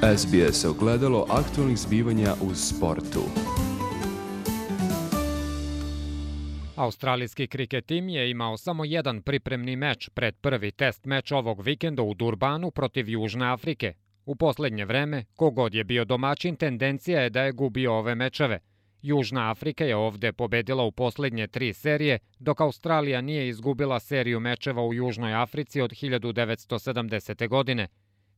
SBS ogledalo aktualnih zbivanja u sportu. Australijski kriket tim je imao samo jedan pripremni meč pred prvi test meč ovog vikenda u Durbanu protiv Južne Afrike. U posljednje vreme, kogod je bio domaćin, tendencija je da je gubio ove mečeve. Južna Afrika je ovde pobedila u posljednje 3 serije, dok Australija nije izgubila seriju mečeva u Južnoj Africi od 1970. godine.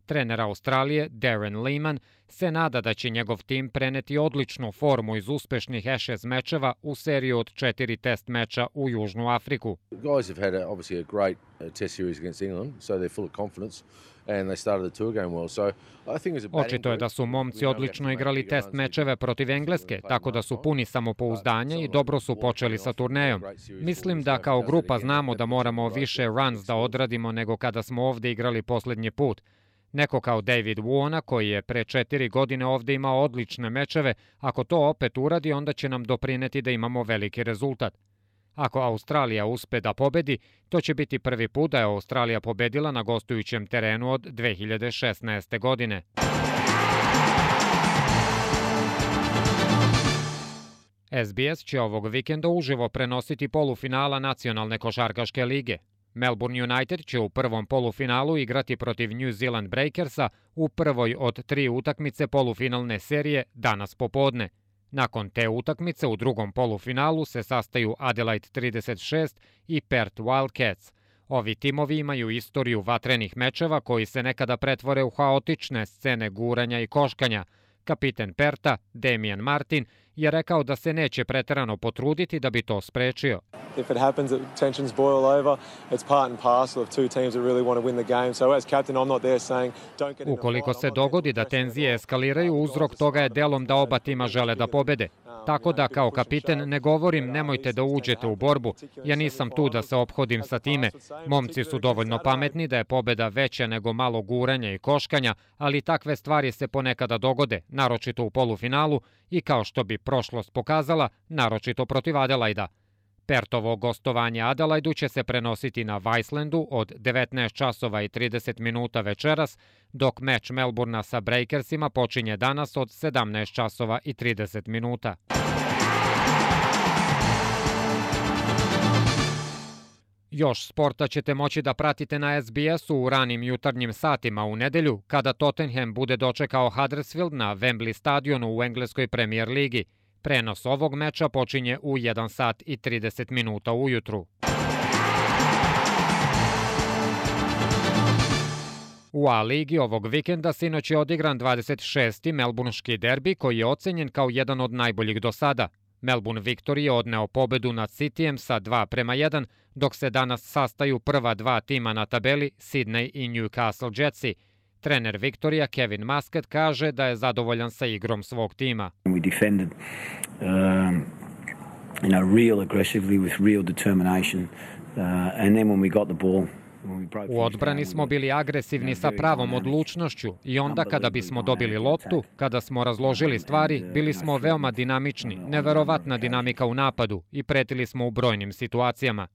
Trener Australije, Darren Lehmann, se nada da će njegov tim preneti odličnu formu iz uspešnih Ashes mečeva u seriju od 4 test meča u Južnu Afriku. Guys have had obviously a great test series against England, so they're full of confidence. And they started the tour game well. So I think it's a Očito je da su momci odlično igrali test mečeve protiv Engleske, tako da su puni samopouzdanja i dobro su počeli sa turnejom. Mislim da kao grupa znamo da moramo više runs da odradimo nego kada smo ovde igrali posljednji put. Neko kao David Warner, koji je pre 4 godine ovde imao odlične mečeve, ako to opet uradi, onda će nam doprineti da imamo veliki rezultat. Ako Australija uspe da pobedi, to će biti prvi put da je Australija pobedila na gostujućem terenu od 2016. godine. SBS će ovog vikenda uživo prenositi polufinala Nacionalne košarkaške lige. Melbourne United će u prvom polufinalu igrati protiv New Zealand Breakersa u prvoj od 3 utakmice polufinalne serije danas popodne. Nakon te utakmice u drugom polufinalu se sastaju Adelaide 36 i Perth Wildcats. Ovi timovi imaju istoriju vatrenih mečeva koji se nekada pretvore u haotične scene guranja i koškanja. Kapiten Perta, Damian Martin, je rekao da se neće preterano potruditi da bi to sprečio. If it happens that tensions boil over, it's part and parcel of two teams that really want to win the game. So as captain, I'm not there saying don't get. Ukoliko se dogodi da tenzije eskaliraju, uzrok toga je delom da oba tima žele da pobede. Tako da kao kapiten ne govorim nemojte da uđete u borbu. Ja nisam tu da se ophodim sa time. Momci su dovoljno pametni da je pobeda veća nego malo guranja i koškanja, ali takve stvari se ponekada dogode, naročito u polufinalu i kao što bi prošlost pokazala, naročito protiv Adelaida. Pertovo gostovanje Adelaidu će se prenositi na Vicelandu od 19 časova i 30 minuta večeras, dok meč Melbournea sa Breakersima počinje danas od 17 časova i 30 minuta. Još sporta ćete moći da pratite na SBS-u u ranim jutarnjim satima u nedelju, kada Tottenham bude dočekao Huddersfield na Wembley stadionu u engleskoj Premier ligi. Prenos ovog meča počinje u 1 sat i 30 minuta ujutru. U A-ligi ovog vikenda sinoć je odigran 26. melburnški derbi koji je ocenjen kao jedan od najboljih do sada. Melbourne Victory je odneo pobedu nad Cityjem sa 2:1, dok se danas sastaju prva 2 tima na tabeli, Sydney i Newcastle Jetsi. Trener Victoria Kevin Muscat kaže da je zadovoljan sa igrom svog tima. We defended real aggressively with real determination and then when we got the ball. U odbrani smo bili agresivni sa pravom odlučnošću i onda kada bismo dobili loptu, kada smo razložili stvari, bili smo veoma dinamični, neverovatna dinamika u napadu i pretili smo u brojnim situacijama.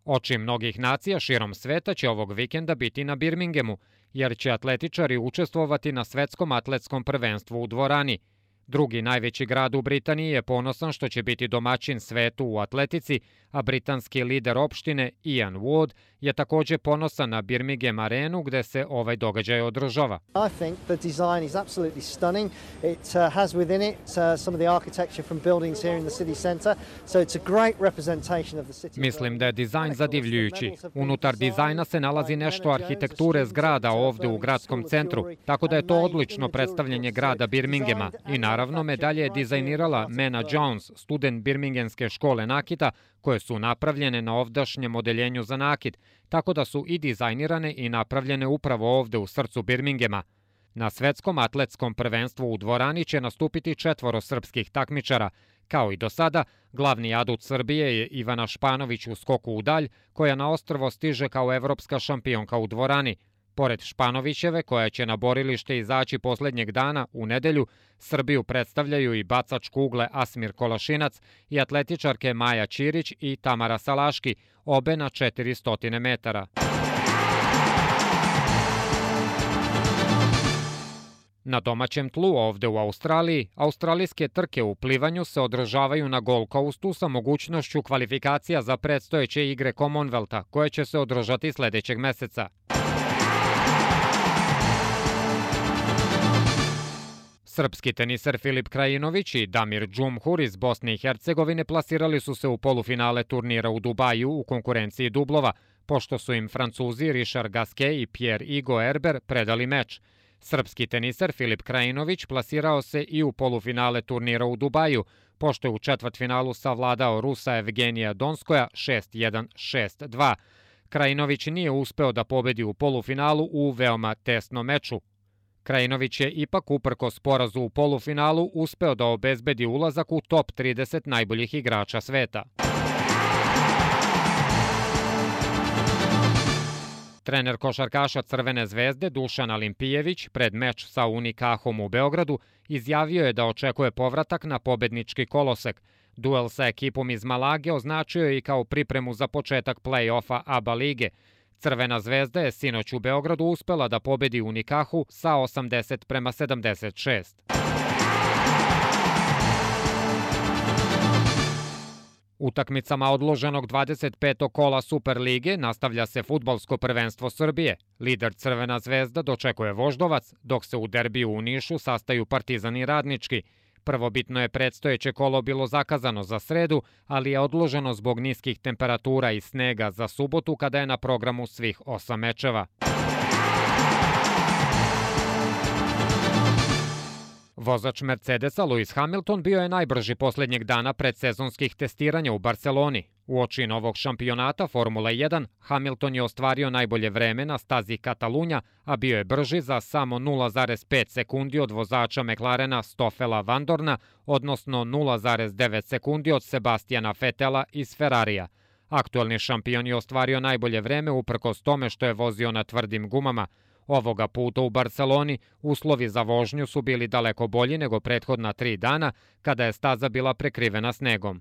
Oči mnogih nacija širom sveta će ovog vikenda biti na Birminghamu, jer će atletičari učestvovati na svetskom atletskom prvenstvu u dvorani. Drugi najveći grad u Britaniji je ponosan što će biti domaćin svetu u atletici, a britanski lider opštine Ian Ward je takođe ponosan na Birmingham arenu gde se ovaj događaj održava. I think the design is absolutely stunning. It has within it some of the architecture from buildings here in the city centre, so it's a great representation of the city. Mislim da je dizajn zadivljujući. Unutar dizajna se nalazi nešto arhitekture zgrada ovde u gradskom centru, tako da je to odlično predstavljanje grada Birminghama i naravno medalje je dizajnirala Mena Jones, student Birminghamske škole nakita, koje su napravljene na ovdašnjem odeljenju za nakit, tako da su i dizajnirane i napravljene upravo ovde u srcu Birminghama. Na svetskom atletskom prvenstvu u dvorani će nastupiti 4 srpskih takmičara. Kao i do sada, glavni adut Srbije je Ivana Španović u skoku u dalj, koja na ostrvo stiže kao evropska šampionka u dvorani. Pored Španovićeve, koja će na borilište izaći poslednjeg dana u nedelju, Srbiju predstavljaju i bacač kugle Asmir Kolašinac i atletičarke Maja Ćirić i Tamara Salaški, obe na 400 metara. Na domaćem tlu ovde u Australiji, australijske trke u plivanju se održavaju na Gold Coastu sa mogućnošću kvalifikacija za predstojeće igre Commonwealtha, koje će se održati sledećeg meseca. Srpski teniser Filip Krajinović i Damir Džumhur iz Bosne i Hercegovine plasirali su se u polufinale turnira u Dubaju u konkurenciji dublova, pošto su im Francuzi Richard Gasquet i Pierre-Hugues Herbert predali meč. Srpski teniser Filip Krajinović plasirao se i u polufinale turnira u Dubaju, pošto je u četvrtfinalu savladao Rusa Evgenija Donskoja 6-1, 6-2. Krajinović nije uspeo da pobedi u polufinalu u veoma tesnom meču. Krajinović je ipak uprkos porazu u polufinalu uspeo da obezbedi ulazak u top 30 najboljih igrača sveta. Trener košarkaša Crvene zvezde Dušan Alimpijević pred meč sa Unikahom u Beogradu izjavio je da očekuje povratak na pobednički kolosek. Duel sa ekipom iz Malage označio je i kao pripremu za početak play-offa ABA lige. Crvena zvezda je sinoć u Beogradu uspela da pobedi Unikahu sa 80-76. Utakmicama odloženog 25. kola Superlige nastavlja se fudbalsko prvenstvo Srbije. Lider Crvena zvezda dočekuje Voždovac, dok se u derbiju u Nišu sastaju Partizan i Radnički. Prvobitno je predstojeće kolo bilo zakazano za sredu, ali je odloženo zbog niskih temperatura i snega za subotu kada je na programu svih 8 mečeva. Vozač Mercedesa Lewis Hamilton bio je najbrži poslednjeg dana predsezonskih testiranja u Barceloni. Uoči novog šampionata Formule 1, Hamilton je ostvario najbolje vreme na stazi Katalunja, a bio je brži za samo 0,5 sekundi od vozača McLarena Stoffela Vandoorna, odnosno 0,9 sekundi od Sebastiana Vettela iz Ferrarija. Aktuelni šampion je ostvario najbolje vreme uprkos tome što je vozio na tvrdim gumama. Ovoga puta u Barceloni uslovi za vožnju su bili daleko bolji nego prethodna 3 dana kada je staza bila prekrivena snegom.